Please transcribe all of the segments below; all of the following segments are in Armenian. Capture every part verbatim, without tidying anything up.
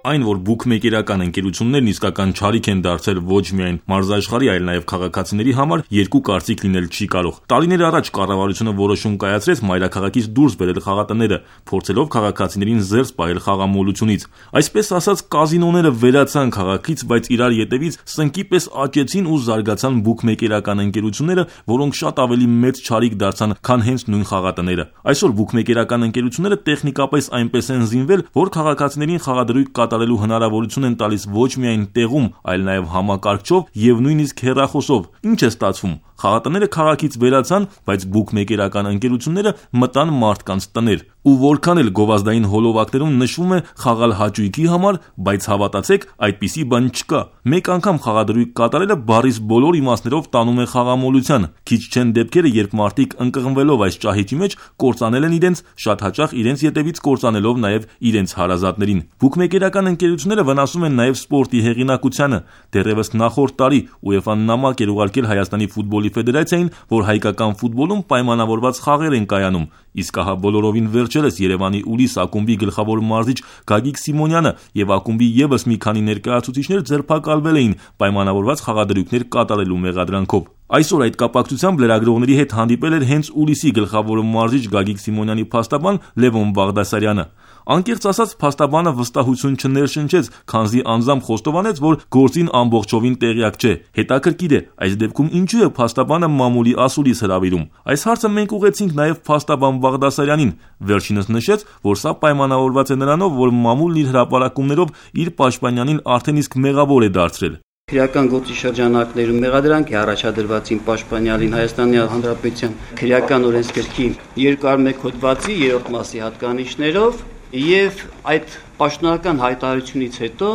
Այն, որ բուքմեյքերական ընկերություններն իսկական չարիք են դարձել ոչ միայն մարզաշխարհի, այլ նաև քաղաքացիների համար, երկու կարծիք լինել չի կարող։ Տարիներ առաջ կառավարությունը որոշում կայացրեց մայրաքաղաքից դուրս բերել խաղատները, փորձելով քաղաքացիներին զերծ պահել խաղամոլությունից։ Այսպես ասած, կազինոները վերացան քաղաքից, բայց իրար ետևից սնկի պես աճեցին ու զարգացան բուքմեյքերական ընկերությունները, որոնք շատ ավելի մեծ չարիք դարձան, քան հենց նույն խաղատները։ Այսօր բուքմեյքերական ընկերությունները տեխնիկապես այնպես են զինվել, որ քաղաքացիներին խաղադրույք կատարելու հնարավորություն են տալիս ոչ միայն տեղում, այլ նաև համակարգչով եւ նույնիսկ հեռախոսով։ Ինչ է ստացվում։ Խաղատները քաղաքից վերացան, բայց բուքմեյքերական ընկերությունները մտան մարդկանց տներ։ Ու որքան էլ գովազդային հոլովակներում նշվում է խաղալ հաճույքի համար, բայց հավատացեք, այդպիսի բան չկա։ Մեկ անգամ խաղադրույք կատարելը բառից բոլոր իմաստներով տանում է խաղամոլության։ Քիչ չեն դեպքերը, երբ մարդիկ ընկղմվելով այս ճահիճի մեջ կործանել են իրենց, շատ հաճախ իրենց ետևից կործանելով նաև իրենց հարազատներին։ Բուքմեյքերական ընկերությունները վնասում են նաև սպորտի հեղինակությանը։ Դեռևս նախորդ տարի ՈՒԵՖԱ-ն նամակ էր ուղարկել Հայաստանի ֆուտբոլի ֆեդերացիային, որ հայկական ֆուտբոլում պայմանավորված խաղեր են կայանում։ Իսկ ահա բոլորովին վերջերս Երևանի Ուլիս ակումբի գլխավոր մարզիչ Գագիկ Սիմոնյանը եւ ակումբի եւս մի քանի ներկայացուցիչներ ձերբակալվել էին պայմանավորված խաղադրույքներ կատարելու մեղադրանքով։ Այսօր այդ կապակցությամբ լրագրողների հետ հանդիպել էր հենց Ուլիսի գլխավոր մարզիչ Գագիկ Սիմոնյանի փաստաբան Լևոն Բաղդասարյանը։ Անկեղծ ասած, փաստաբանը վստահություն չներշնչեց, քանզի անձամբ խոստովանեց, որ գործին ամբողջովին տեղյակ չէ։ Հետաքրքիր է, այս դեպքում ինչու է փաստաբանը մամուլի ասուլիս հրավիրում։ Այս հարցը մենք ուղեցինք նաև փաստաբան Բաղդասարյանին։ Վերջինս նշեց, որ սա պայմանավորված է նրանով, որ մամուլն իր հրապարակումներով իր պաշտպանյանին արդեն իսկ մեղավոր է դարձրել։ Քրեական գործի շրջանակներում մեղադրանք է առաջադրված իմ պաշտպանյալին Հայաստանի Հանրապետության քրեական օրենսգրքի երկու մեկ հոդվածի երրորդ մասի հատկանիշներով եւ այդ պաշտոնական հայտարարությունից հետո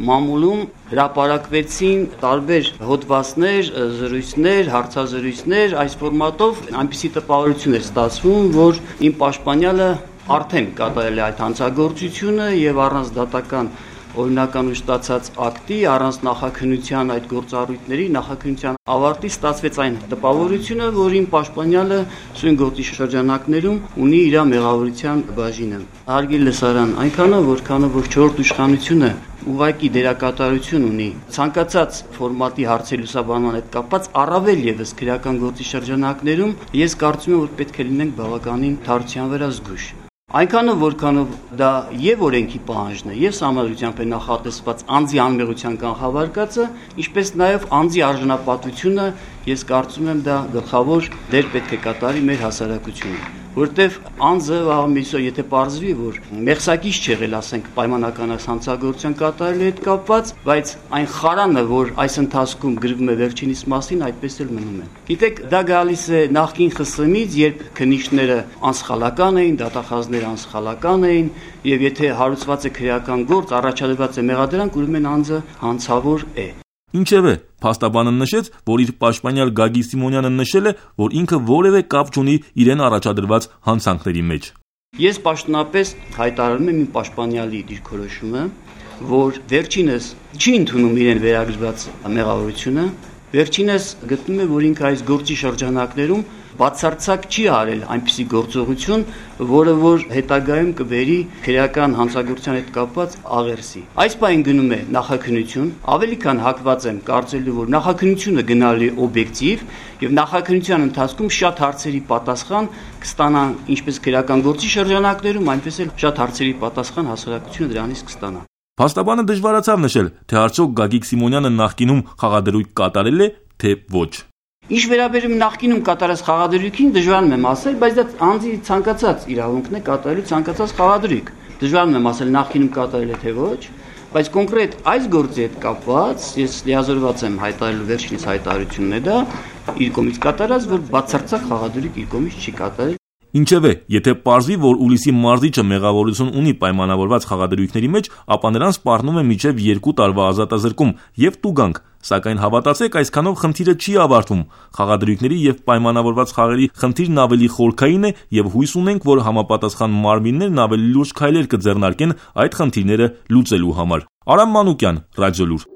մամուլում հրապարակվեցին տարբեր հոդվածներ, զրույցներ, հարցազրույցներ, այս ֆորմատով այնպիսի տպավորություն էր ստացվում, որ իմ պաշտպանյալը արդեն կատարել է այդ հանցագործությունը եւ առանց դատական օրինական ու ստացած ակտի, առանց նախաքննության այդ գործառույթների նախաքննության ավարտի ստացվեց այն տպավորությունը, որ իմ պաշտպանյալը սույն գործի շրջանակներում ունի իր մեղավորության բաժինը։ Հարգելի լսարան, այնքանը որքանը որ չորրորդ իշխանությունը ուղղակի դերակատարություն ունի ցանկացած ֆորմատի հարցի լուսաբանման հետ կապված, առավել եւս քրեական գործի շրջանակներում, ես կարծում եմ, որ պետք է լինենք բավականին թարության վրա զգույշ։ Այնքանը որքանով դա եւ օրենքի պահանջն է, եւ համադրությամբ է նախատեսված անձի անմեղության կանխավարկածը, ինչպես նաեւ անձի արժանապատվությունը, ես կարծում եմ դա գլխավոր դեր պետք է կատարի մեր հասարակությունում, որտեւ անձը ամիսո եթե պարզվի, որ մեղսակից չեղել, ասենք պայմանական հանցագործության կատարելու հետ կապված, բայց այն խարանը, որ այս ընթացքում գրվում է վերջինիս մասին, այդպես էլ մնում է։ Գիտեք, դա գալիս է նախկին ԽՍՀՄ-ից, երբ քննիչները անսխալական էին, դատախազները անսխալական էին, եւ եթե հարուցված է քրեական գործ, առաջադրված է մեղադրանք, ուրեմն անձը հանցավոր է։ Ինչևէ, փաստաբանը նշեց, որ իր պաշտպանյալ Գագիկ Սիմոնյանը նշել է, որ ինքը որևէ կապ չունի իրեն առաջադրված հանցանքների մեջ։ Ես պաշտոնապես հայտարարում եմ իմ պաշտպանյալի դիրքորոշումը, որ վերջինս չի ընդունում իրեն վերագրված մեղավորությունը, վերջինս գտնում է, որ ինքը այս գործի շրջանակներում բացարձակ չի արել այնպիսի գործողություն, որը որ հետագայում կբերի քրեական հանցագործության հետ կապված աղերսի։ Այս բան գնում է նախաքննություն, ավելի քան հակված եմ կարծելու, որ նախաքննությունը գնալու է օբյեկտիվ եւ նախաքննության ընթացքում շատ հարցերի պատասխան կստանան ինչպես քրեական գործի շրջանակներում, այնպես էլ շատ հարցերի պատասխան հասարակությունը դրանից կստանա։ Փաստաբանը դժվարացավ նշել, թե արդյոք Գագիկ Սիմոնյանը նախկինում խաղադրույք կատարել է, թե ոչ։ Ինչ վերաբերում նախկինում կատարած խաղադրույքին դժվարում եմ ասել, բայց դա անձի ցանկացած իրավունքն է կատարելու ցանկացած խաղադրույք։ Դժվարում եմ ասել նախկինում կատարել է թե ոչ, բայց կոնկրետ այս գործի հետ կապված ես լիազորված եմ հայտարարելու վերջինիս հայտարարությունն է դա իր կողմից կատարած, որ բացարձակ խաղադրույք իր կողմից չի կատարել։ Ինչևէ, եթե պարզվի, որ Ուլիսի մարզիչը մեղավորություն ունի պայմանավորված խաղադրույքների մեջ, ապա նրան սպառնում է մինչև երկու տարվա ազատազրկում եւ տուգանք, սակայն հավատացեք, այսքանով խնդիրը չի ավարտվում։ Խաղադրույքների եւ պայմանավորված խաղերի խնդիրն ավելի խորքային է եւ հույս ունենք, որ համապատասխան մարմիններն ավելի լուրջ քայլեր կձեռնարկեն այդ խնդիրները լուծելու համար։ Արամ Մանուկյան, Ռադիոլուր։